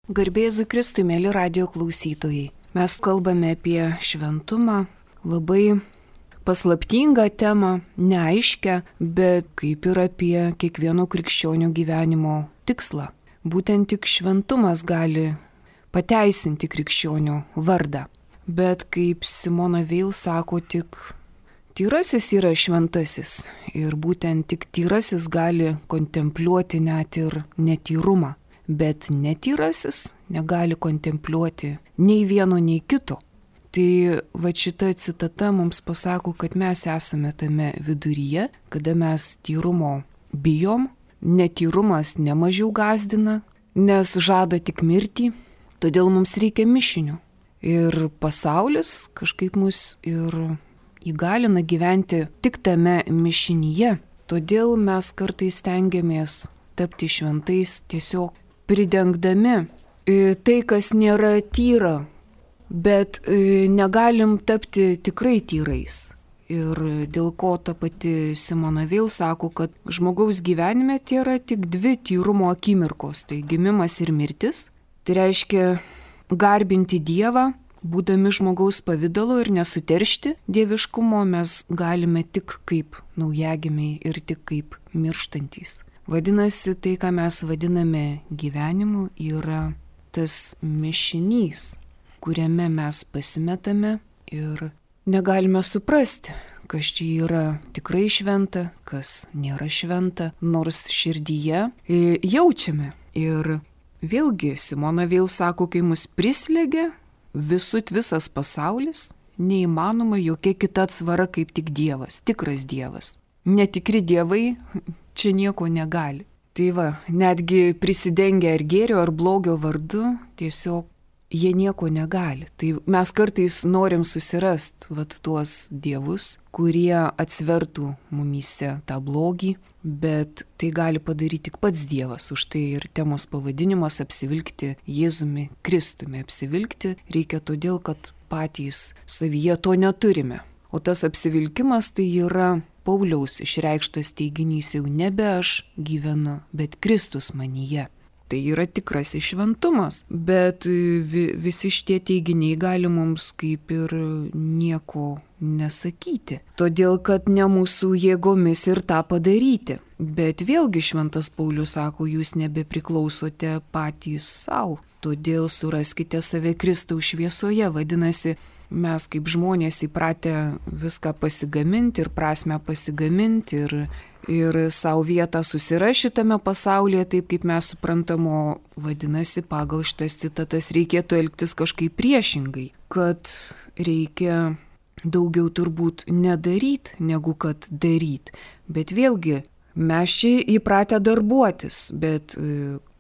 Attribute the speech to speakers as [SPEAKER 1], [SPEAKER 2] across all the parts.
[SPEAKER 1] Garbė Jėzui Kristui, mėly radijo klausytojai. Mes kalbame apie šventumą, labai paslaptingą temą, neaiškę, bet kaip ir apie kiekvieno krikščionio gyvenimo tikslą. Būtent tik šventumas gali pateisinti krikščionio vardą. Bet kaip Simona Veil sako, tik tyrasis yra šventasis ir būtent tik tyrasis gali kontempliuoti net ir netyrumą. Bet netyrasis negali kontempliuoti nei vieno, nei kito. Tai va šita citata mums pasako, kad mes esame tame viduryje, kada mes tyrumo bijom, netyrumas nemažiau gąsdina, nes žada tik mirtį, todėl mums reikia mišinio. Ir pasaulis kažkaip mus ir įgalina gyventi tik tame mišinyje, todėl mes kartais stengiamės tapti šventais tiesiog pridengdami tai, kas nėra tyra, bet negalim tapti tikrai tyrais. Ir dėl ko ta pati Simona Veil sako, kad žmogaus gyvenime tai yra tik dvi tyrumo akimirkos, tai gimimas ir mirtis. Tai reiškia garbinti Dievą, būdami žmogaus pavidalo ir nesuteršti dieviškumo mes galime tik kaip naujagimiai ir tik kaip mirštantys. Vadinasi, tai, ką mes vadiname gyvenimu, yra tas mišinys, kuriame mes pasimetame ir negalime suprasti, kas čia yra tikrai šventa, kas nėra šventa, nors širdyje jaučiame. Ir vėlgi Simona Veil sako, kai mus prislėgia visas pasaulis, neįmanoma jokia kita atsvara kaip tik Dievas, tikras Dievas. Netikri dievai čia nieko negali. Tai va, netgi prisidengia ar gėrio, ar blogio vardu, tiesiog jie nieko negali. Tai mes kartais norim susirasti tuos dievus, kurie atsvertų mumyse tą blogį, bet tai gali padaryti tik pats Dievas. Už tai ir temos pavadinimas apsivilkti Jėzumi Kristumi. Apsivilkti reikia todėl, kad patys savyje to neturime. O tas apsivilkimas tai yra Pauliaus išreikštas teiginys, jau nebe aš gyvenu, bet Kristus manyje. Tai yra tikrasis šventumas, bet visi šitie teiginiai gali mums kaip ir nieko nesakyti, todėl kad ne mūsų jėgomis ir tą padaryti. Bet vėlgi šventas Paulius sako, jūs nebepriklausote patys savo, todėl suraskite save Kristaus šviesoje. Vadinasi, mes kaip žmonės įpratę viską pasigaminti ir prasmę pasigaminti ir savo vietą susirasti šitame pasaulyje, taip kaip mes suprantamo, vadinasi, pagal šitas citatas reikėtų elgtis kažkaip priešingai, kad reikia daugiau turbūt nedaryti, negu kad daryti. Bet vėlgi, mes čia įpratę darbuotis, bet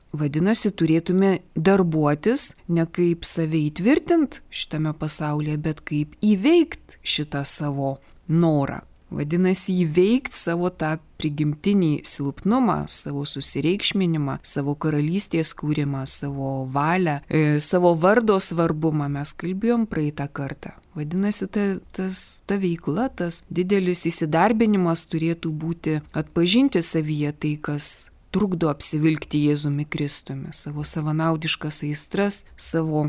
[SPEAKER 1] vadinasi, turėtume darbuotis ne kaip save įtvirtinti šitame pasaulyje, bet kaip įveikti šitą savo norą. Vadinasi, įveikti savo tą prigimtinį silpnumą, savo susireikšminimą, savo karalystės kūrimą, savo valią, savo vardo svarbumą. Mes kalbėjom praeitą kartą. Vadinasi, ta veikla, tas didelis įsidarbinimas turėtų būti atpažinti savyje tai, kas trukdo apsivilkti Jėzumi Kristumi, savo savanaudiškas aistras, savo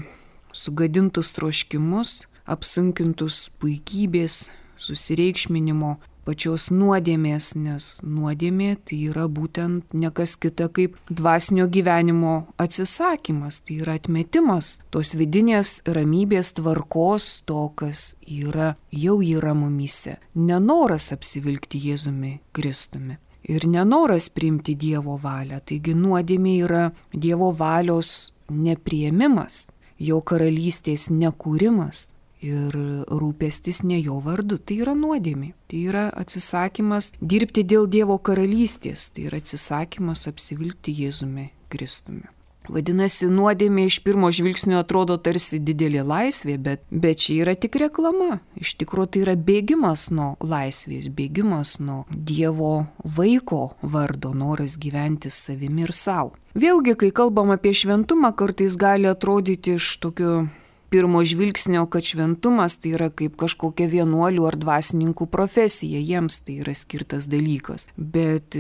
[SPEAKER 1] sugadintus troškimus, apsunkintus puikybės, susireikšminimo, pačios nuodėmės, nes nuodėmė tai yra būtent ne kas kita kaip dvasinio gyvenimo atsisakymas, tai yra atmetimas tos vidinės ramybės, tvarkos, to, kas jau yra mumyse, nenoras apsivilkti Jėzumi Kristumi. Ir nenoras priimti Dievo valią, taigi nuodėmė yra Dievo valios nepriėmimas, jo karalystės nekūrimas ir rūpestis ne jo vardu. Tai yra nuodėmė, tai yra atsisakymas dirbti dėl Dievo karalystės, tai yra atsisakymas apsivilkti Jėzumi Kristumi. Vadinasi, nuodėmė iš pirmo žvilgsnio atrodo tarsi didelė laisvė, bet čia yra tik reklama. Iš tikrųjų tai yra bėgimas nuo laisvės, bėgimas nuo Dievo vaiko vardo, noras gyventi savimi ir savo. Vėlgi, kai kalbam apie šventumą, kartais gali atrodyti iš tokio pirmo žvilgsnio, kad šventumas tai yra kaip kažkokia vienuolių ar dvasininkų profesija, jiems tai yra skirtas dalykas. Bet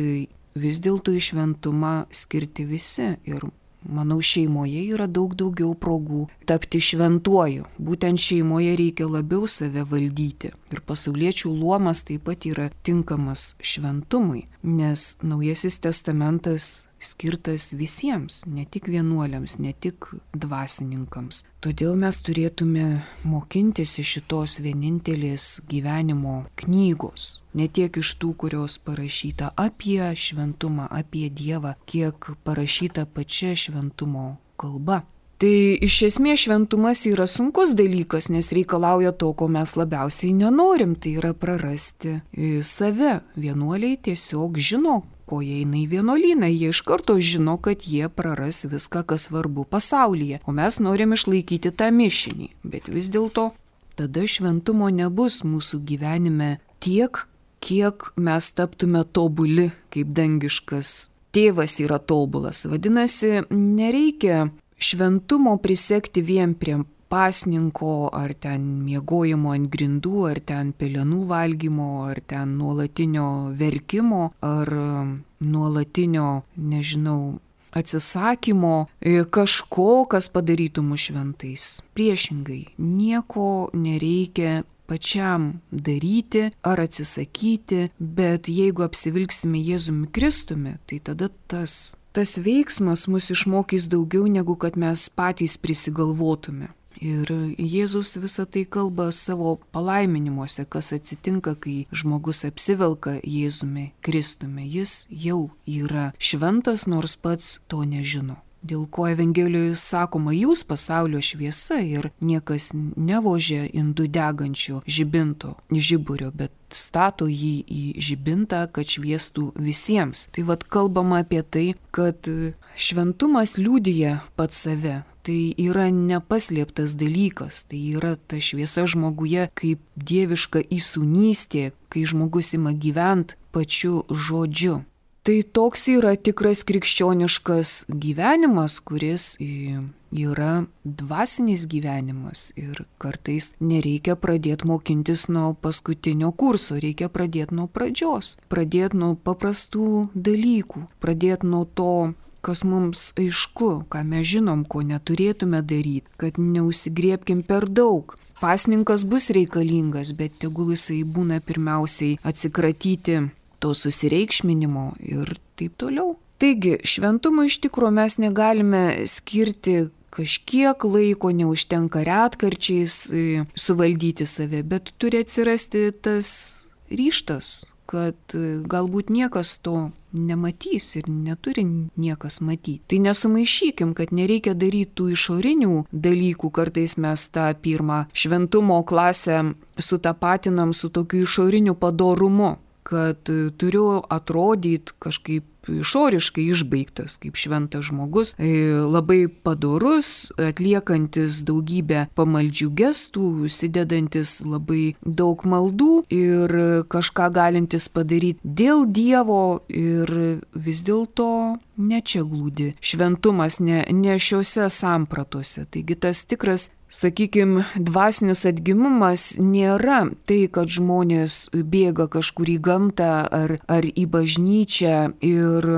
[SPEAKER 1] vis dėlto į šventumą skirti visi ir manau, šeimoje yra daug daugiau progų tapti šventuoju. Būtent šeimoje reikia labiau save valdyti. Ir pasauliečių luomas taip pat yra tinkamas šventumui, nes Naujasis testamentas skirtas visiems, ne tik vienuoliams, ne tik dvasininkams. Todėl mes turėtume mokintis iš šitos vienintelės gyvenimo knygos. Ne tiek iš tų, kurios parašyta apie šventumą, apie Dievą, kiek parašyta pačia šventumo kalba. Tai iš esmės šventumas yra sunkus dalykas, nes reikalauja to, ko mes labiausiai nenorim, tai yra prarasti save. Vienuoliai tiesiog žino, ko jie eina į vienuolyną, jie iš karto žino, kad jie praras viską, kas svarbu pasaulyje, o mes norim išlaikyti tą mišinį. Bet vis dėlto tada šventumo nebus mūsų gyvenime tiek, kiek mes taptume tobuli, kaip dangiškas tėvas yra tobulas. Vadinasi, nereikia šventumo prisekti vien prie pasninko, ar ten miegojimo ant grindų, ar ten pelenų valgymo, ar ten nuolatinio verkimo, ar nuolatinio, atsisakymo kažko, kas padarytų mus šventais. Priešingai, nieko nereikia pačiam daryti ar atsisakyti, bet jeigu apsivilksime Jėzumi Kristumi, tai tada tas veiksmas mus išmokys daugiau, negu kad mes patys prisigalvotume. Ir Jėzus visą tai kalba savo palaiminimuose, kas atsitinka, kai žmogus apsivelka Jėzumi Kristumi. Jis jau yra šventas, nors pats to nežino. Dėl ko Evangelijoje sakoma, jūs pasaulio šviesa ir niekas nevožia indų degančio žiburio, bet stato jį į žibintą, kad šviestų visiems. Tai kalbama apie tai, kad šventumas liudija pats save. Tai yra nepaslėptas dalykas, tai yra ta šviesa žmoguje kaip dieviška įsūnystė, kai žmogus ima gyventi pačiu žodžiu. Tai toks yra tikras krikščioniškas gyvenimas, kuris yra dvasinis gyvenimas ir kartais nereikia pradėti mokintis nuo paskutinio kurso, reikia pradėti nuo pradžios, pradėti nuo paprastų dalykų, pradėti nuo to, kas mums aišku, ką mes žinom, ko neturėtume daryti, kad neužsigriebkim per daug. Pasninkas bus reikalingas, bet tegul jisai būna pirmiausiai atsikratyti to susireikšminimo ir taip toliau. Taigi, šventumui iš tikrųjų mes negalime skirti kažkiek laiko, neužtenka retkarčiais suvaldyti save, bet turi atsirasti tas ryžtas, kad galbūt niekas to nematys ir neturi niekas matyti. Tai nesumaišykim, kad nereikia daryti tų išorinių dalykų, kartais mes tą pirmą šventumo klasę sutapatinam su tokiu išoriniu padorumu, kad turiu atrodyti kažkaip išoriškai išbaigtas, kaip šventas žmogus, labai padorus, atliekantis daugybę pamaldžių gestų, užsidedantis labai daug maldų ir kažką galintis padaryti dėl Dievo ir vis dėlto ne čia glūdi šventumas, ne šiuose sampratose. Taigi tas tikras, sakykime, dvasinis atgimimas nėra tai, kad žmonės bėga kažkur į gamtą ar į bažnyčią ir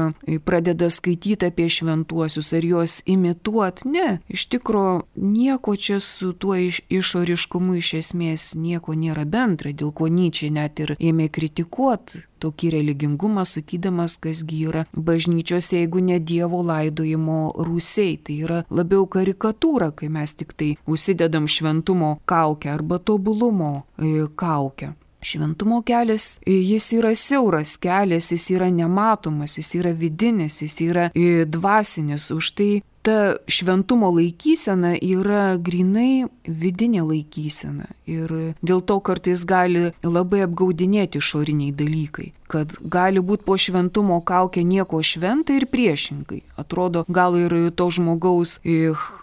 [SPEAKER 1] pradeda skaityti apie šventuosius ar juos imituoti. Ne, iš tikrųjų nieko čia su tuo išoriškumu iš esmės nieko nėra bendra, dėl ko Nyčė net ir ėmė kritikuoti tokį religingumą, sakydamas, kasgi yra bažnyčios, jeigu ne Dievo laidojimo rūsiai. Tai yra labiau karikatūra, kai mes tik tai užsidedam šventumo kaukę arba tobulumo kaukę. Šventumo kelias, jis yra siauras kelias, jis yra nematomas, jis yra vidinis, jis yra dvasinis. Už tai ta šventumo laikysena yra grinai vidinė laikysena. Ir dėl to kartais gali labai apgaudinėti išoriniai dalykai. Kad gali būti po šventumo kaukė nieko šventa ir priešingai. Atrodo, gal ir to žmogaus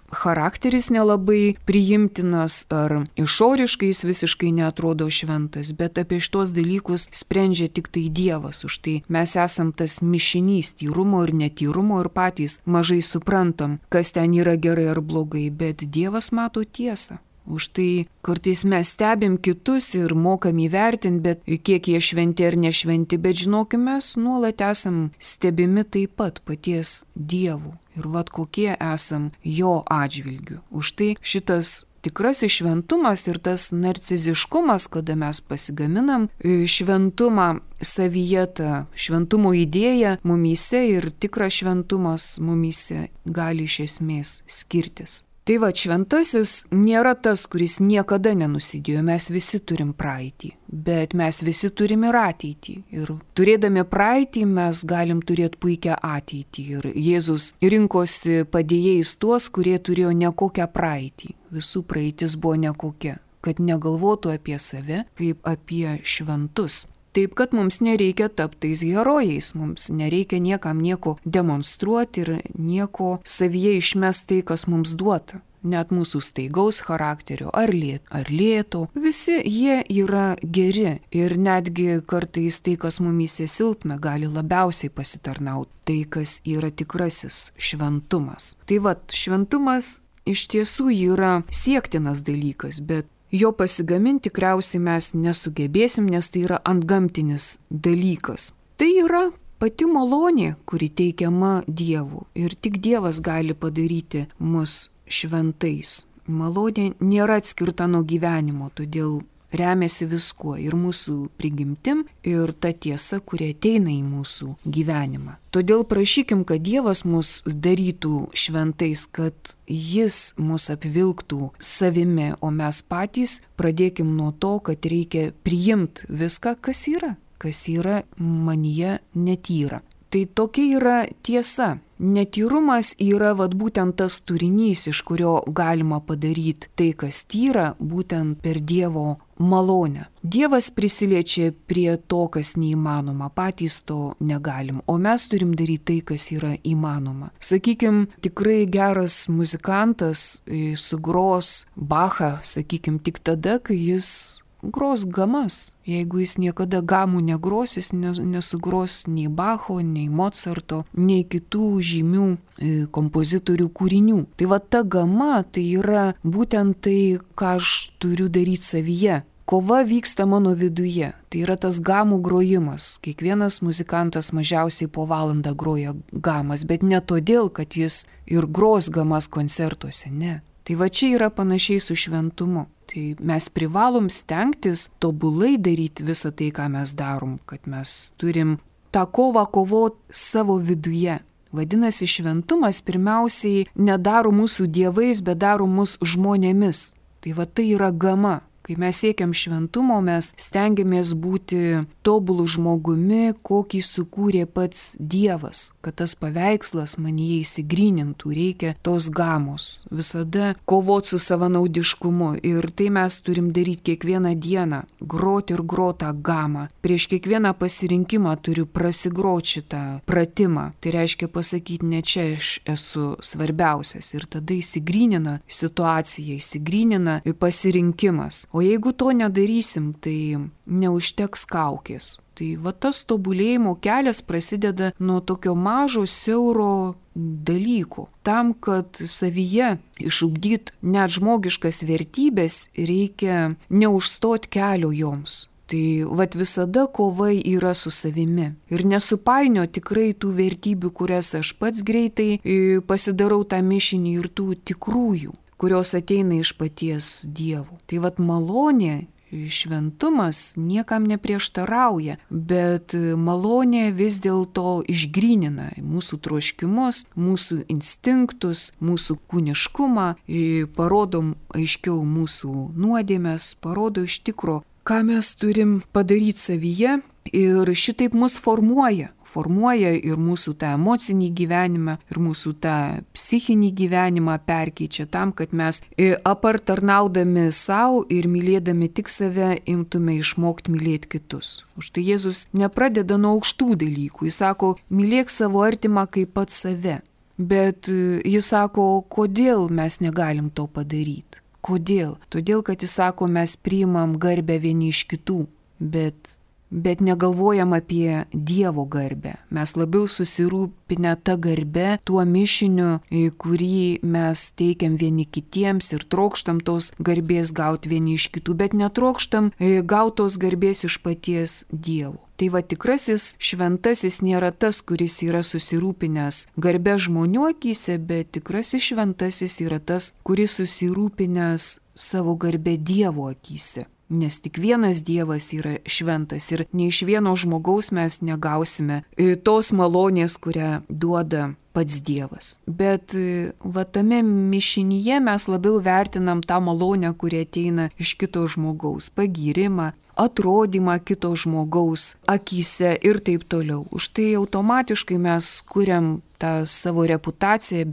[SPEAKER 1] charakteris nelabai priimtinas ar išoriškai jis visiškai neatrodo šventas, bet apie šitos dalykus sprendžia tik tai Dievas. Už tai mes esam tas mišinys tyrumo ir netyrumo ir patys mažai suprantam, kas ten yra gerai ar blogai, bet Dievas mato tiesą. Už tai kartais mes stebim kitus ir mokam įvertinti, bet kiek jie šventi ar nešventi, bet žinokime, mes nuolat esam stebimi taip pat paties Dievu. Ir vat kokie esam jo atžvilgiu. Už tai šitas tikrasis šventumas ir tas narciziškumas, kada mes pasigaminam šventumą savyje, ta šventumo idėja mumyse ir tikras šventumas mumyse gali iš esmės skirtis. Tai va, šventasis nėra tas, kuris niekada nenusidėjo, mes visi turim praeitį, bet mes visi turim ir ateitį. Ir turėdami praeitį mes galim turėti puikią ateitį. Ir Jėzus rinkosi padėjėjais tuos, kurie turėjo nekokią praeitį. Visų praeitis buvo nekokia, kad negalvotų apie save kaip apie šventus. Taip, kad mums nereikia tapti tais herojais, mums nereikia niekam nieko demonstruoti ir nieko savyje išmesti tai, kas mums duota. Net mūsų staigaus charakterio ar lėto, visi jie yra geri ir netgi kartais tai, kas mumyse silpna, gali labiausiai pasitarnauti. Tai, kas yra tikrasis šventumas. Tai va, šventumas iš tiesų yra siektinas dalykas, bet jo pasigaminti tikriausiai mes nesugebėsim, nes tai yra antgamtinis dalykas. Tai yra pati malonė, kuri teikiama Dievu ir tik Dievas gali padaryti mus šventais. Malonė nėra atskirta nuo gyvenimo, todėl remiasi viskuo ir mūsų prigimtim ir ta tiesa, kuri ateina į mūsų gyvenimą. Todėl prašykim, kad Dievas mus darytų šventais, kad Jis mus apvilktų savimi, o mes patys pradėkim nuo to, kad reikia priimti viską, kas yra manyje netyra. Tai tokia yra tiesa. Netyrumas yra būtent tas turinys, iš kurio galima padaryti tai, kas tyra, būtent per Dievo malonę. Dievas prisiliečia prie to, kas neįmanoma, patys to negalim, o mes turim daryti tai, kas yra įmanoma. Sakykim, tikrai geras muzikantas sugros Bachą, sakykim, tik tada, kai jis gros gamas. Jeigu jis niekada gamų negros, jis nesugros nei Bacho, nei Mozarto, nei kitų žymių kompozitorių kūrinių. Tai va ta gama, tai yra būtent tai, ką aš turiu daryti savyje. Kova vyksta mano viduje. Tai yra tas gamų grojimas. Kiekvienas muzikantas mažiausiai po valandą groja gamas, bet ne todėl, kad jis ir gros gamas koncertuose, ne. Tai va čia yra panašiai su šventumu. Tai mes privalom stengtis tobulai daryti visą tai, ką mes darom, kad mes turim tą kovą kovoti savo viduje. Vadinasi, šventumas pirmiausiai nedaro mūsų dievais, bet daro mus žmonėmis. Tai va tai yra gama. Kai mes siekiam šventumo, mes stengiamės būti tobulų žmogumi, kokį sukūrė pats Dievas, kad tas paveikslas manyje įsigrynintų, reikia tos gamos, visada kovoti su savanaudiškumu ir tai mes turim daryti kiekvieną dieną, groti ir grotą gamą. Prieš kiekvieną pasirinkimą turiu prasigroti šitą pratimą, tai reiškia pasakyti, ne čia aš esu svarbiausias ir tada įsigrynina situacija, įsigrynina pasirinkimas. O jeigu to nedarysim, tai neužteks kaukės. Tai va tas tobulėjimo kelias prasideda nuo tokio mažo, siauro dalyko. Tam, kad savyje išugdyt net žmogiškas vertybės, reikia neužstot kelio joms. Tai vat visada kova yra su savimi. Ir nesupainio tikrai tų vertybių, kurias aš pats greitai pasidarau tą mišinį ir tų tikrųjų, kurios ateina iš paties Dievo. Tai vat malonė, šventumas niekam neprieštarauja, bet malonė vis dėlto išgrynina mūsų troškimus, mūsų instinktus, mūsų kūniškumą, parodo aiškiau mūsų nuodėmes, parodo iš tikro, ką mes turim padaryti savyje ir šitaip mus formuoja ir mūsų tą emocinį gyvenimą, ir mūsų tą psichinį gyvenimą perkeičia tam, kad mes apart tarnaudami savo ir mylėdami tik save imtume išmokti mylėti kitus. Už tai Jėzus nepradeda nuo aukštų dalykų, jis sako, mylėk savo artimą kaip pats save, bet jis sako, kodėl mes negalim to padaryti. Kodėl? Todėl, kad jis sako, mes priimam garbę vieni iš kitų, bet bet negalvojam apie Dievo garbę. Mes labiau susirūpinę tą garbę, tuo mišiniu, kurį mes teikiam vieni kitiems ir trokštam tos garbės gauti vieni iš kitų, bet netrokštam gautos garbės iš paties Dievo. Tai va tikrasis šventasis nėra tas, kuris yra susirūpinęs garbę žmonių akyse, bet tikrasis šventasis yra tas, kuris susirūpinęs savo garbę Dievo akyse. Nes tik vienas Dievas yra šventas ir nei iš vieno žmogaus mes negausime tos malonės, kurią duoda pats Dievas. Bet va tame mišinyje mes labiau vertinam tą malonę, kuri ateina iš kito žmogaus, pagyrimą, atrodymą kito žmogaus akyse ir taip toliau. Už tai automatiškai mes kuriam tą savo reputaciją,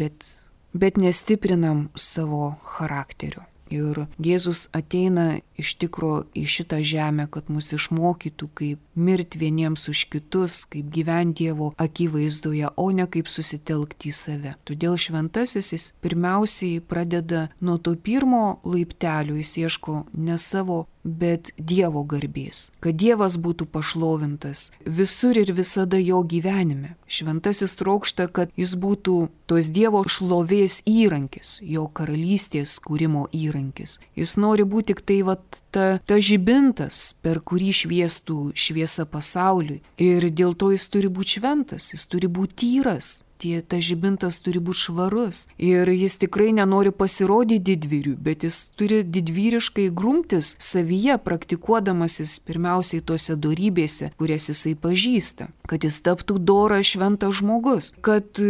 [SPEAKER 1] bet nestiprinam savo charakterio. Ir Jėzus ateina iš tikro į šitą žemę, kad mus išmokytų, kaip mirti vieniems už kitus, kaip gyventi Dievo akivaizdoje, o ne kaip susitelkti į save. Todėl šventasis jis pirmiausiai pradeda nuo to pirmo laiptelio, jis ieško ne savo, bet Dievo garbės, kad Dievas būtų pašlovintas visur ir visada jo gyvenime. Šventasis trokšta, kad jis būtų tos Dievo šlovės įrankis, jo karalystės kūrimo įrankis. Jis nori būti tik tai ta žibintas, per kurį šviestų šviesa pasauliui. Ir dėl to jis turi būti šventas, jis turi būti tyras. Ta žibintas turi būti švarus. Ir jis tikrai nenori pasirodyti didvyriu, bet jis turi didvyriškai grumtis savyje, praktikuodamasis pirmiausiai tose dorybėse, kurias jisai pažįsta. Kad jis taptų doras šventas žmogus, kad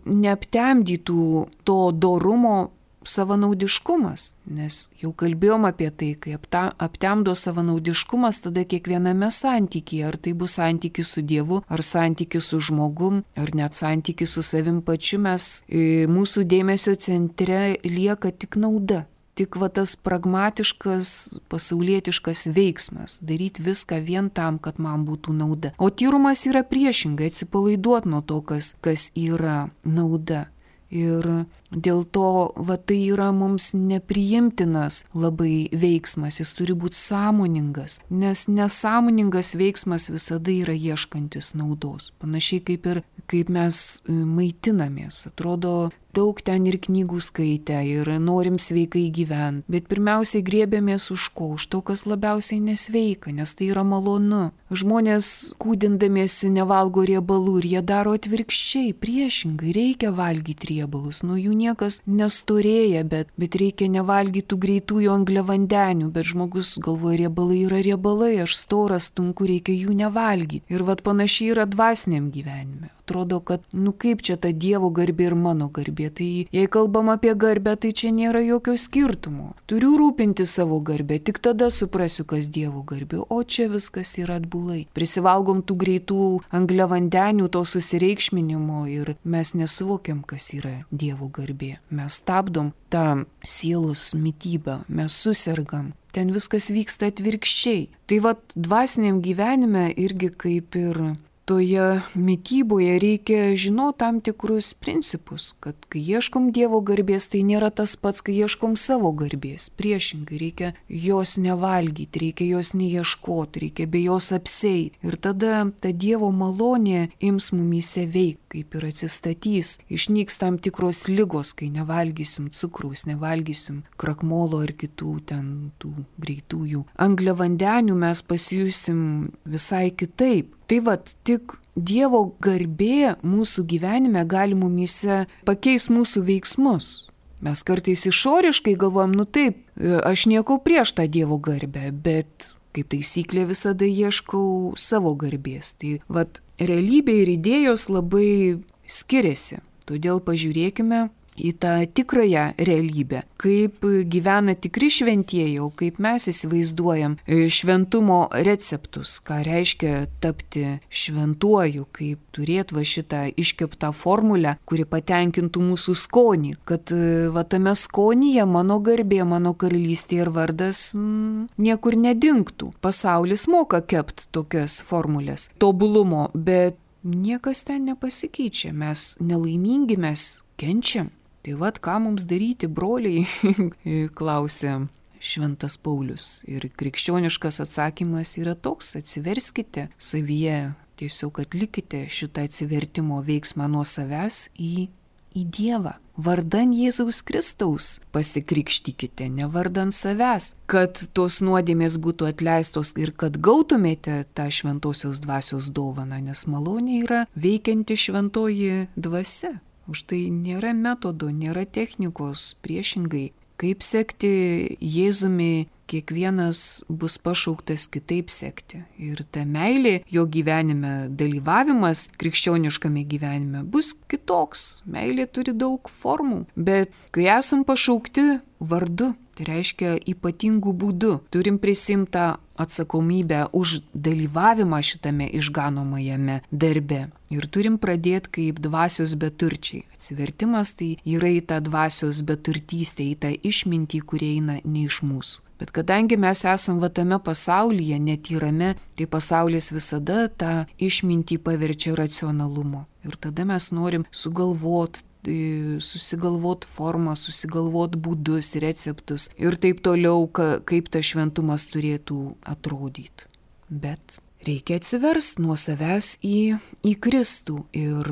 [SPEAKER 1] neaptemdytų to dorumo savanaudiškumas, nes jau kalbėjom apie tai, kai aptemdo savanaudiškumas, tada kiekviename santykyje, ar tai bus santykis su Dievu, ar santykis su žmogum, ar net santykis su savim pačiu, mūsų dėmesio centre lieka tik nauda. Tik va tas pragmatiškas, pasaulietiškas veiksmas, daryti viską vien tam, kad man būtų nauda. O tyrumas yra priešingai, atsipalaiduoti nuo to, kas yra nauda. Ir dėl to tai yra mums nepriimtinas labai veiksmas, jis turi būti sąmoningas, nes nesąmoningas veiksmas visada yra ieškantis naudos. Panašiai kaip mes maitinamės, atrodo, daug ten ir knygų skaitę ir norim sveikai gyventi, bet pirmiausiai griebiamės už ko? Už to, kas labiausiai nesveika, nes tai yra malonu. Žmonės kūdindamiesi nevalgo riebalų ir jie daro atvirkščiai, priešingai, reikia valgyti riebalus, nuo jų niekas nestorėja, bet reikia nevalgyti tų greitųjų angliavandenių, bet žmogus galvoja, riebalai yra riebalai, aš storas, tunku, reikia jų nevalgyti. Ir panašiai yra dvasiniam gyvenime. Atrodo, kad kaip čia ta Dievo garbė ir mano garbė. Tai jei kalbam apie garbę, tai čia nėra jokio skirtumo. Turiu rūpinti savo garbę, tik tada suprasiu, kas Dievo garbė. O čia viskas yra atbulai. Prisivalgom tų greitų angliavandenių, to susireikšminimo ir mes nesuvokiam, kas yra Dievo garbė. Mes stabdom tą sielos mitybą, mes susergam. Ten viskas vyksta atvirkščiai. Tai dvasiniam gyvenime irgi kaip ir toje mityboje reikia žinoti tam tikrus principus, kad kai ieškom Dievo garbės, tai nėra tas pats, kai ieškom savo garbės. Priešingai, reikia jos nevalgyti, reikia jos neieškoti, reikia be jos apsieiti. Ir tada ta Dievo malonė ims mumyse veikti, kaip ir atsistatys. Išnyks tam tikros ligos, kai nevalgysim cukraus, nevalgysim krakmolo ar kitų ten tų greitųjų angliavandenių, mes pasijusim visai kitaip. Tai tik Dievo garbė mūsų gyvenime gali mumyse pakeis mūsų veiksmus. Mes kartais išoriškai galvojam, taip, aš nieko prieš tą Dievo garbę, bet kaip taisyklė visada ieškau savo garbės. Tai realybė ir idėjos labai skiriasi. Todėl pažiūrėkime į tą tikrąją realybę, kaip gyvena tikri šventieji, o kaip mes įsivaizduojam šventumo receptus, ką reiškia tapti šventuoju, kaip turėti šitą iškeptą formulę, kuri patenkintų mūsų skonį, kad tame skonyje mano garbė, mano karalystė ir vardas niekur nedingtų. Pasaulis moka kepti tokias formulės tobulumo, bet niekas ten nepasikeičia, mes nelaimingi, mes kenčiam. Tai ką mums daryti, broliai, klausė Šventas Paulius. Ir krikščioniškas atsakymas yra toks: atsiverskite savyje, tiesiog atlikite šitą atsivertimo veiksmą nuo savęs į Dievą. Vardan Jėzaus Kristaus pasikrikštykite, ne vardan savęs, kad tos nuodėmės būtų atleistos ir kad gautumėte tą šventosios dvasios dovaną, nes malonė yra veikianti šventoji dvasia. Už tai nėra metodo, nėra technikos, priešingai. Kaip sekti Jėzumi, kiekvienas bus pašauktas kitaip sekti. Ir ta meilė, jo gyvenime, dalyvavimas krikščioniškame gyvenime bus kitoks. Meilė turi daug formų, bet kai esam pašaukti vardu, tai reiškia ypatingų būdų, turim prisimtą atsakomybę už dalyvavimą šitame išganomajame darbe. Ir turim pradėti kaip dvasios beturčiai. Atsivertimas tai yra į tą dvasios beturtystę, į tą išmintį, kurie eina ne iš mūsų. Bet kadangi mes esam va tame pasaulyje, netyrame, tai pasaulis visada tą išmintį paverčia racionalumu. Ir tada mes norim susigalvot formą, susigalvot būdus, receptus ir taip toliau, kaip tas šventumas turėtų atrodyti. Bet reikia atsiversti nuo savęs į Kristų ir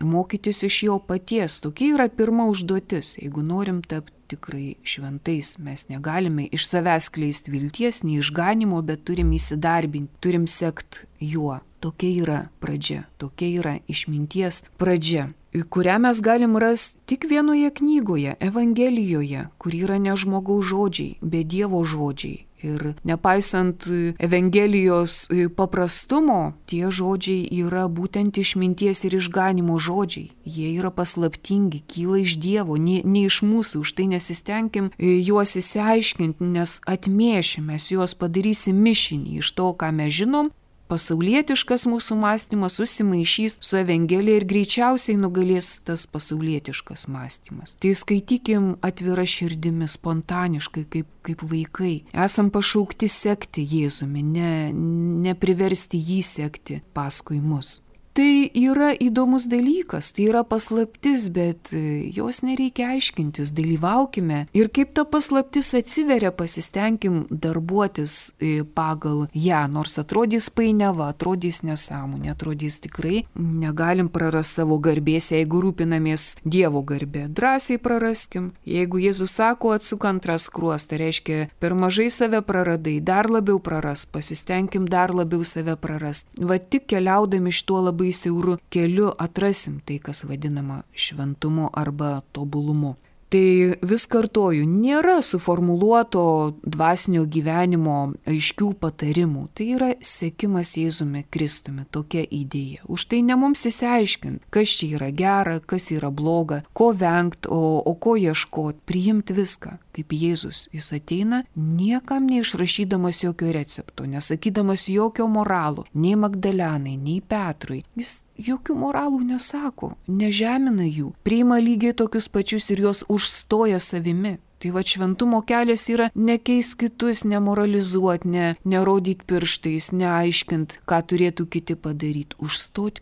[SPEAKER 1] mokytis iš jo paties. Tokia yra pirma užduotis. Jeigu norim tapti tikrai šventais, mes negalime iš savęs kleisti vilties, nei išganimo, bet turim įsidarbinti, turim sekti juo. Tokia yra pradžia, tokia yra išminties pradžia, kurią mes galim rasti tik vienoje knygoje, Evangelijoje, kur yra ne žmogaus žodžiai, bet Dievo žodžiai. Ir nepaisant Evangelijos paprastumo, tie žodžiai yra būtent išminties ir išganimo žodžiai. Jie yra paslaptingi, kyla iš Dievo, ne iš mūsų. Už tai nesistengim juos įsiaiškinti, nes atmėšim, mes juos padarysim mišinį iš to, ką mes žinom. Pasaulietiškas mūsų mąstymas susimaišys su Evangelija ir greičiausiai nugalės tas pasaulietiškas mąstymas. Tai skaitykim atvira širdimi, spontaniškai, kaip vaikai. Esam pašaukti sekti Jėzumi, ne priversti jį sekti paskui mus. Tai yra įdomus dalykas, tai yra paslaptis, bet jos nereikia aiškintis, dalyvaukime. Ir kaip ta paslaptis atsiveria, pasistengim darbuotis pagal ją, nors atrodys painiava, atrodys nesąmonė, atrodys tikrai negalim prarasti savo garbės, jeigu rūpinamės Dievo garbė. Drąsiai praraskim. Jeigu Jėzus sako, atsuk antrą skruostą, reiškia, per mažai save praradai, dar labiau praras, pasistengim dar labiau save prarast. Va tik keliaudami šituo labai siauru keliu atrasim tai, kas vadinama šventumu arba tobulumu. Tai vis kartoju, nėra suformuluoto dvasinio gyvenimo aiškių patarimų. Tai yra sekimas Jėzumi Kristumi, tokia idėja. Už tai ne mums įsiaiškinti, kas čia yra gera, kas yra bloga, ko vengti, o ko ieškoti, priimti viską. Kaip Jėzus, jis ateina niekam neišrašydamas jokio recepto, nesakydamas jokio moralo, nei Magdalenai, nei Petrui. Jis jokių moralų nesako, nežemina jų, priima lygiai tokius pačius ir juos užstoja savimi. Tai va šventumo kelias yra nekeist kitus, nemoralizuoti, nerodyti pirštais, neaiškint, ką turėtų kiti padaryti, užstot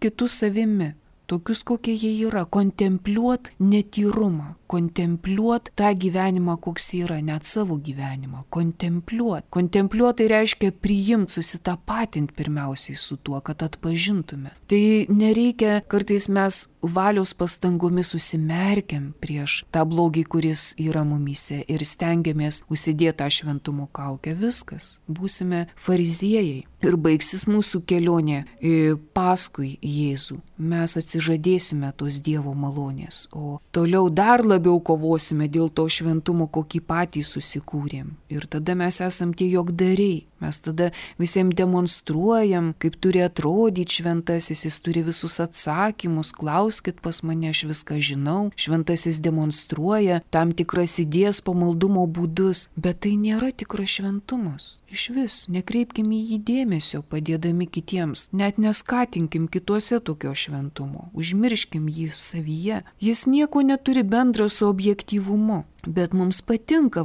[SPEAKER 1] kitus savimi. Tokius, kokie jie yra, kontempliuot netyrumą, kontempliuot tą gyvenimą, koks yra, net savo gyvenimą, kontempliuot. Kontempliuot tai reiškia priimti, susitapatinti pirmiausiai su tuo, kad atpažintume. Tai nereikia, kartais mes valios pastangomis užsimerkiam prieš tą blogį, kuris yra mumyse ir stengiamės užsidėti tą šventumo kaukę. Viskas, būsime fariziejai ir baigsis mūsų kelionė paskui Jėzų. Mes atsižadėsime tos Dievo malonės, o toliau dar labiau kovosime dėl to šventumo, kokį patys susikūrėm. Ir tada mes esam tie jogdariai. Mes tada visiems demonstruojam, kaip turi atrodyti šventasis, jis turi visus atsakymus, klauskit pas mane, aš viską žinau. Šventasis demonstruoja tam tikras idėjas, pamaldumo būdus, bet tai nėra tikras šventumas. Išvis nekreipkim į jį dėmesio, padėdami kitiems, net neskatinkim kituose tokio šventumo, užmirškim jį savyje. Jis nieko neturi bendra su objektyvumu. Bet mums patinka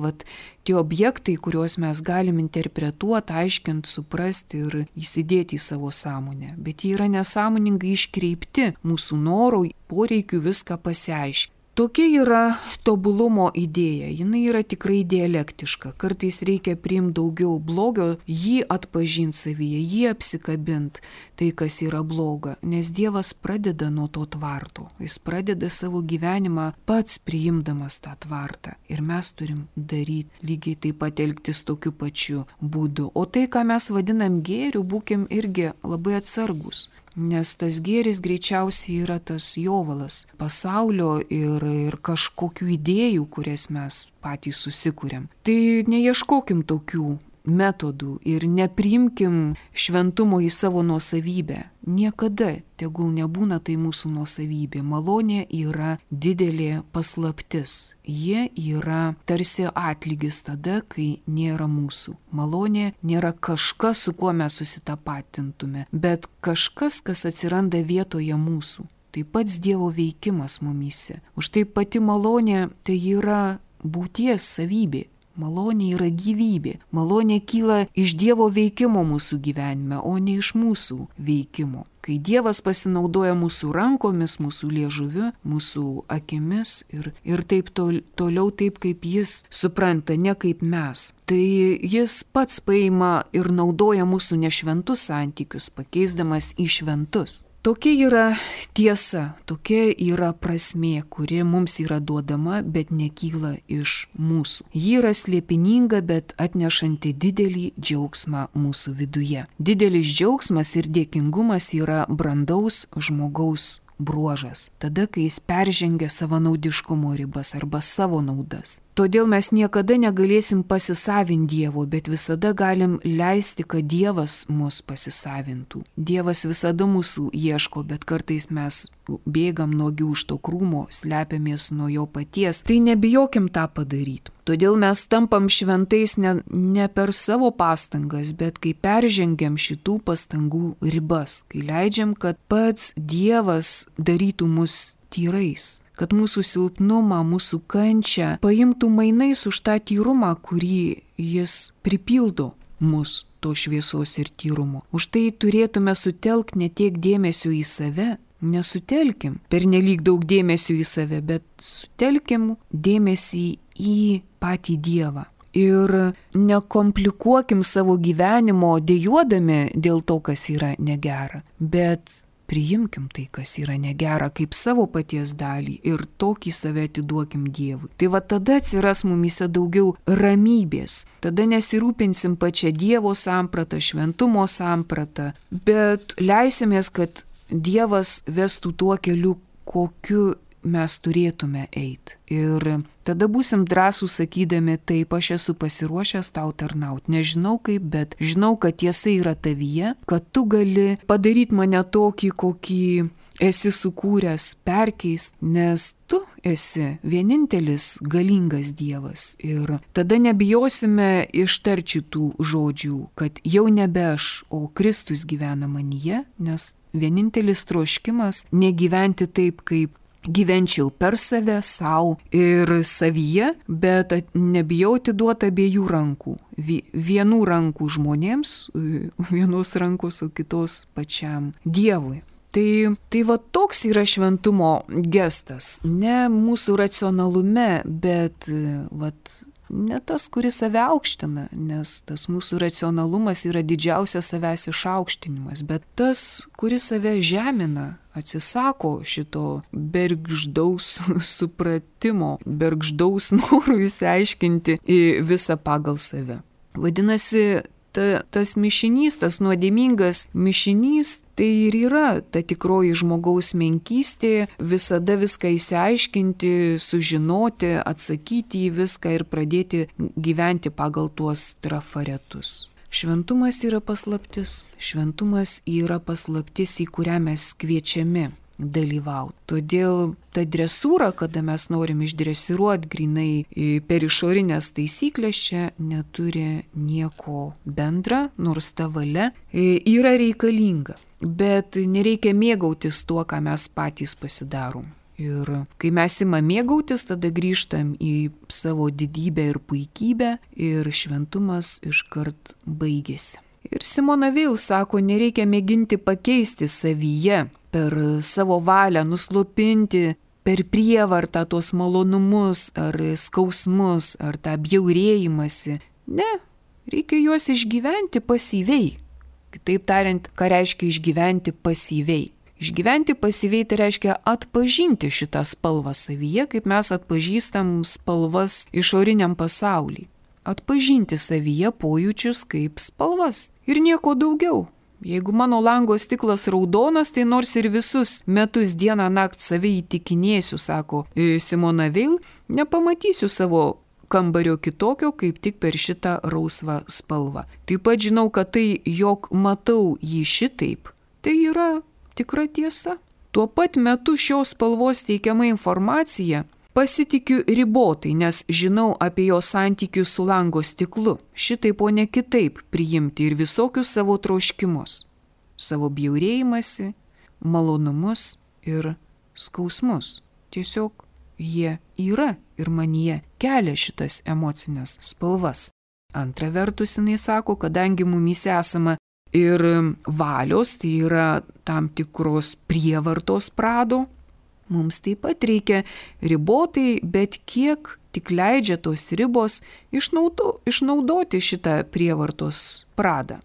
[SPEAKER 1] tie objektai, kuriuos mes galim interpretuoti, aiškinti, suprasti ir įsidėti į savo sąmonę. Bet jie yra nesąmoningai iškreipti mūsų norų, poreikių viską pasiaiškinti. Tokia yra tobulumo idėja, jinai yra tikrai dialektiška. Kartais reikia priimti daugiau blogio, jį atpažinti savyje, jį apsikabinti, tai kas yra bloga. Nes Dievas pradeda nuo to tvarto, jis pradeda savo gyvenimą pats priimdamas tą tvartą. Ir mes turim daryti lygiai taip pat elgtis tokiu pačiu būdu. O tai, ką mes vadinam gėriu, būkim irgi labai atsargus. Nes tas gėris greičiausiai yra tas jovalas pasaulio ir kažkokių idėjų, kurias mes patys susikūrėm. Tai neieškokim tokių metodų ir nepriimkim šventumo į savo nuosavybę. Niekada, tegul nebūna tai mūsų nuosavybė. Malonė yra didelė paslaptis. Jie yra tarsi atlygis tada, kai nėra mūsų. Malonė nėra kažkas, su kuo mes susitapatintume, bet kažkas, kas atsiranda vietoje mūsų. Tai pats Dievo veikimas mumyse. Už tai pati malonė tai yra būties savybė. Malonė yra gyvybė. Malonė kyla iš Dievo veikimo mūsų gyvenime, o ne iš mūsų veikimo. Kai Dievas pasinaudoja mūsų rankomis, mūsų liežuviu, mūsų akimis ir taip toliau taip, kaip jis supranta, ne kaip mes. Tai jis pats paima ir naudoja mūsų nešventus santykius, pakeisdamas į šventus. Tokia yra tiesa, tokia yra prasmė, kuri mums yra duodama, bet nekyla iš mūsų. Ji yra slėpininga, bet atnešanti didelį džiaugsmą mūsų viduje. Didelis džiaugsmas ir dėkingumas yra brandaus žmogaus bruožas, tada, kai jis peržengia savanaudiškumo ribas arba savo naudas. Todėl mes niekada negalėsim pasisavinti Dievo, bet visada galim leisti, kad Dievas mus pasisavintų. Dievas visada mūsų ieško, bet kartais mes bėgam nuogi už to krūmo, slepiamės nuo jo paties. Tai nebijokim tą padaryti. Todėl mes tampam šventais ne per savo pastangas, bet kai peržengiam šitų pastangų ribas, kai leidžiam, kad pats Dievas darytų mus tyrais, kad mūsų silpnumą, mūsų kančią paimtų mainais už tą tyrumą, kurį jis pripildo mus to šviesos ir tyrumo. Už tai turėtume sutelkti ne tiek dėmesio į save, nesutelkim pernelyg daug dėmesio į save, bet sutelkim dėmesį į patį Dievą. Ir nekomplikuokim savo gyvenimo dejuodami dėl to, kas yra negera, bet priimkim tai, kas yra negera, kaip savo paties dalį ir tokį save atiduokim Dievui. Tai va tada atsiras mumyse daugiau ramybės. Tada nesirūpinsim pačią Dievo sampratą, šventumo sampratą, bet leisimės, kad Dievas vestų tuo keliu, kokiu mes turėtume eiti. Ir tada būsim drąsūs sakydami, taip, aš esu pasiruošęs tau tarnauti. Nežinau kaip, bet žinau, kad tiesa yra tavyje, kad tu gali padaryti mane tokį, kokį esi sukūręs, perkeist, nes tu esi vienintelis galingas Dievas. Ir tada nebijosime ištarti tų žodžių, kad jau nebe aš, o Kristus gyvena manyje, nes vienintelis troškimas negyventi taip, kaip gyvenčiau per save, savo ir savyje, bet nebijoti duoti abiejų rankų. Vienų rankų žmonėms, vienos rankos, o kitos pačiam Dievui. Tai va toks yra šventumo gestas. Ne mūsų racionalume, bet ne tas, kuris save aukština, nes tas mūsų racionalumas yra didžiausias savęs išaukštinimas, bet tas, kuris save žemina, atsisako šito bergždaus supratimo, bergždaus norų išsiaiškinti visą pagal save. Vadinasi, tas mišinys, tas nuodėmingas mišinys, tai ir yra ta tikroji žmogaus menkystė, visada viską išsiaiškinti, sužinoti, atsakyti į viską ir pradėti gyventi pagal tuos trafaretus. Šventumas yra paslaptis. Šventumas yra paslaptis, į kurią mes kviečiami dalyvauti. Todėl ta dresūra, kada mes norim išdresiruoti grinai per išorinės taisyklės, čia neturi nieko bendra, nors ta valia yra reikalinga. Bet nereikia mėgautis tuo, ką mes patys pasidarom. Ir kai mes imam mėgautis, tada grįžtam į savo didybę ir puikybę ir šventumas iškart baigėsi. Ir Simona Veil sako, nereikia mėginti pakeisti savyje per savo valią, nuslopinti per prievartą tos malonumus ar skausmus ar tą bjaurėjimąsi. Ne, reikia juos išgyventi pasyviai. Kitaip tariant, ką reiškia išgyventi pasyviai? Išgyventi pasyviai tai reiškia atpažinti šitą spalvą savyje, kaip mes atpažįstam spalvas išoriniam pasauliui. Atpažinti savyje pojūčius kaip spalvas ir nieko daugiau. Jeigu mano lango stiklas raudonas, tai nors ir visus metus dieną naktį save įtikinėsiu, sako Simona Veil, nepamatysiu savo kambario kitokio, kaip tik per šitą rausvą spalvą. Taip pat žinau, kad tai, jog matau jį šitaip, tai yra tikra tiesa. Tuo pat metu šios spalvos teikiama informacija pasitikiu ribotai, nes žinau apie jo santykius su lango stiklu. Šitaip, o ne kitaip priimti ir visokius savo troškimus, savo bjaurėjimąsi, malonumus ir skausmus. Tiesiog jie yra ir manyje kelia šitas emocinės spalvas. Antra vertus, jinai sako, kadangi mumyse esama ir valios, tai yra tam tikros prievartos prado, mums taip pat reikia ribotai, bet kiek tik leidžia tos ribos išnaudoti šitą prievartos pradą.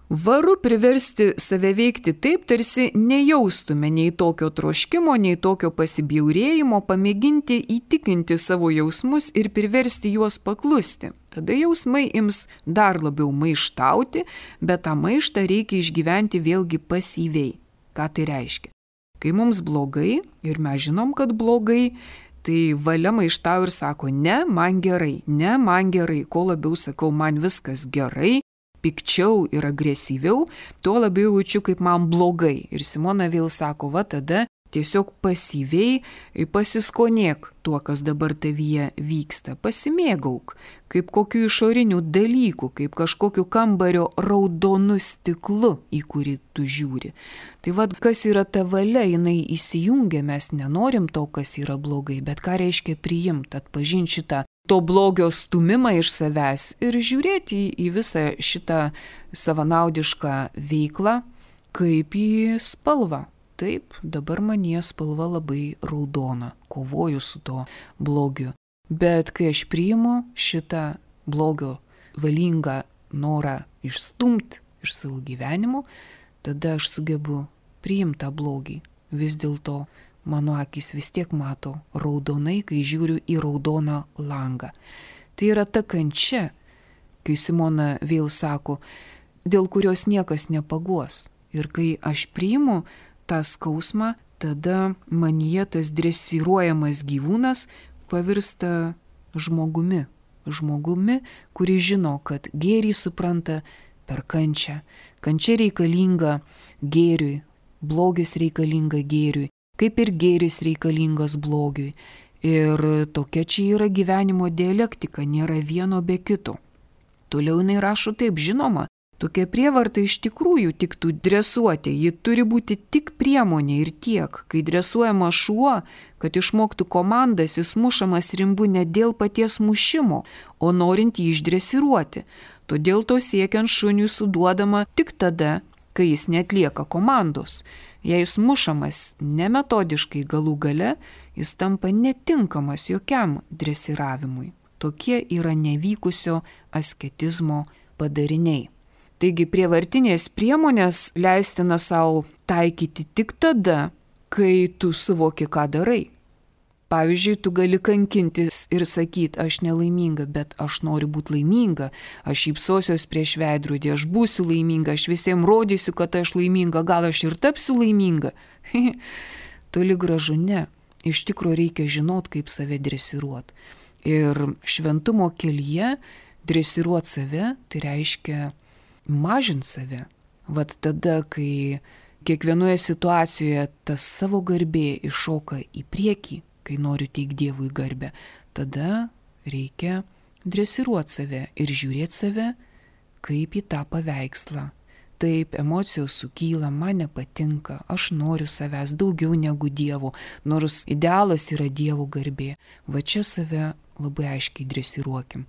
[SPEAKER 1] Varu priversti save veikti taip, tarsi nejaustume nei tokio troškimo, nei tokio pasibjaurėjimo, pamėginti įtikinti savo jausmus ir priversti juos paklusti. Tada jausmai ims dar labiau maištauti, bet tą maištą reikia išgyventi vėlgi pasyviai. Ką tai reiškia? Kai mums blogai, ir mes žinom, kad blogai, tai valia maištau ir sako, ne, man gerai, kuo labiau sakau, man viskas gerai, pikčiau ir agresyviau, tuo labiau jaučiu, kaip man blogai. Ir Simona Veil sako, va tada tiesiog pasyviai pasiskonėk tuo, kas dabar tavyje vyksta, pasimėgauk, kaip kokių išorinių dalykų, kaip kažkokiu kambario raudonu stiklu, į kurį tu žiūri. Tai vad, kas yra ta valia, jinai įsijungia, mes nenorim to, kas yra blogai, bet ką reiškia priimti, atpažinti šitą to blogio stumimą iš savęs ir žiūrėti į visą šitą savanaudišką veiklą kaip į spalvą. Taip, dabar manie spalva labai raudona, kovoju su to blogiu. Bet kai aš priimu šitą blogio valingą norą išstumti iš savo gyvenimo, tada aš sugebu priimti tą blogį. Vis dėlto mano akis vis tiek mato raudonai, kai žiūriu į raudoną langą. Tai yra ta kančia, kai Simona Veil sako, dėl kurios niekas nepaguos. Ir kai aš priimu tą skausmą, tada manyje tas dresiruojamas gyvūnas pavirsta žmogumi. Žmogumi, kuris žino, kad gėrį supranta per kančią. Kančia reikalinga gėriui, blogis reikalinga gėriui, kaip ir gėris reikalingas blogiui. Ir tokia čia yra gyvenimo dialektika, nėra vieno be kito. Toliau jinai rašo taip, žinoma, tokia prievarta iš tikrųjų tiktų dresuoti, ji turi būti tik priemonė ir tiek. Kai dresuojama šuo, kad išmoktų komandas, jis mušamas rimbu ne dėl paties mušimo, o norint jį išdresiruoti. Todėl to siekiant šuniui suduodama tik tada, kai jis neatlieka komandos. Jei jis mušamas nemetodiškai galų gale, jis tampa netinkamas jokiam dresiravimui. Tokie yra nevykusio asketizmo padariniai. Taigi prievartinės priemonės leistina savo taikyti tik tada, kai tu suvoki, ką darai. Pavyzdžiui, tu gali kankintis ir sakyti, aš nelaiminga, bet aš noriu būti laiminga, aš šypsosiuos prieš veidrodį, aš būsiu laiminga, aš visiems rodysiu, kad aš laiminga, gal aš ir tapsiu laiminga. Toli gražu ne. Iš tikrųjų reikia žinot, kaip save dresiruot. Ir šventumo kelyje dresiruot save, tai reiškia mažint save. Vat tada, kai kiekvienoje situacijoje tas savo garbė iššoka į priekį, kai noriu teikti Dievui garbę, tada reikia dresiruot save ir žiūrėti save kaip į tą paveikslą. Taip, emocijos sukyla, man nepatinka, aš noriu savęs daugiau negu Dievo, nors idealas yra Dievo garbė. Va čia save labai aiškiai dresiruokim.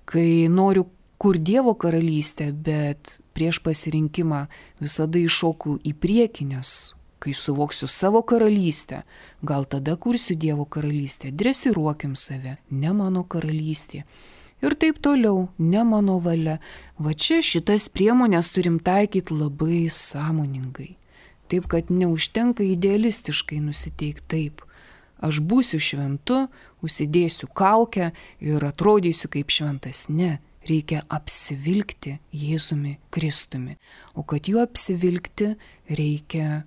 [SPEAKER 1] Kai noriu kur Dievo karalystė, bet prieš pasirinkimą visada iššoku į priekį, nes kai suvoksiu savo karalystę, gal tada kursiu Dievo karalystę, dresiruokim save, ne mano karalystė. Ir taip toliau, ne mano valia. Va čia šitas priemonės turim taikyti labai sąmoningai. Taip, kad neužtenka idealistiškai nusiteikti taip. Aš būsiu šventu, užsidėsiu kaukę ir atrodysiu kaip šventas. Ne, reikia apsivilkti Jėzumi Kristumi. O kad juo apsivilkti, reikia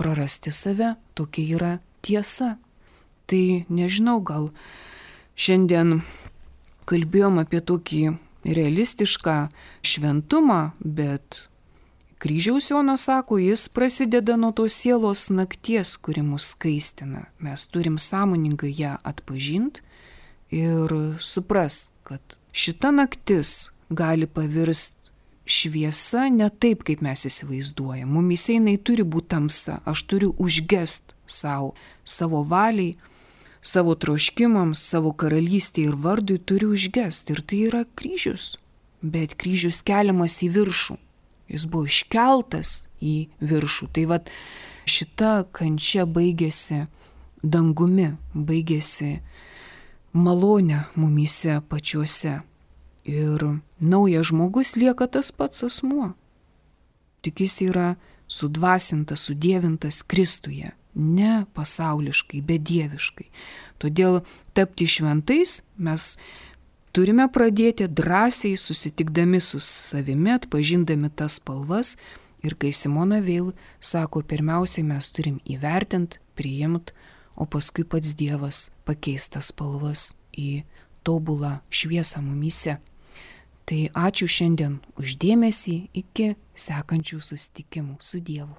[SPEAKER 1] prarasti save. Tokia yra tiesa. Tai nežinau, gal šiandien kalbėjom apie tokį realistišką šventumą, bet Kryžiaus Jonas sako, jis prasideda nuo tos sielos nakties, kuri mus skaistina. Mes turim sąmoningai ją atpažinti ir suprast, kad šita naktis gali pavirsti šviesa ne taip, kaip mes įsivaizduojam. Mumyse jinai turi būti tamsa. Aš turiu užgest savo valiai, savo troškimams, savo karalystėje ir vardui turiu užgest. Ir tai yra kryžius. Bet kryžius keliamas į viršų. Jis buvo iškeltas į viršų. Tai vat šita kančia baigėsi dangumi, baigėsi malonė mumyse pačiuose. Ir naujas žmogus lieka tas pats asmuo. Tik jis yra sudvasintas, sudievintas Kristuje. Ne pasauliškai, bet dieviškai. Todėl tapti šventais mes turime pradėti drąsiai susitikdami su savimi, atpažindami tas spalvas. Ir kai Simona Veil sako, pirmiausiai mes turim įvertinti, priimti, o paskui pats Dievas pakeis tas spalvas į tobulą šviesą mumyse. Tai ačiū šiandien už dėmesį, iki sekančių susitikimų su Dievu.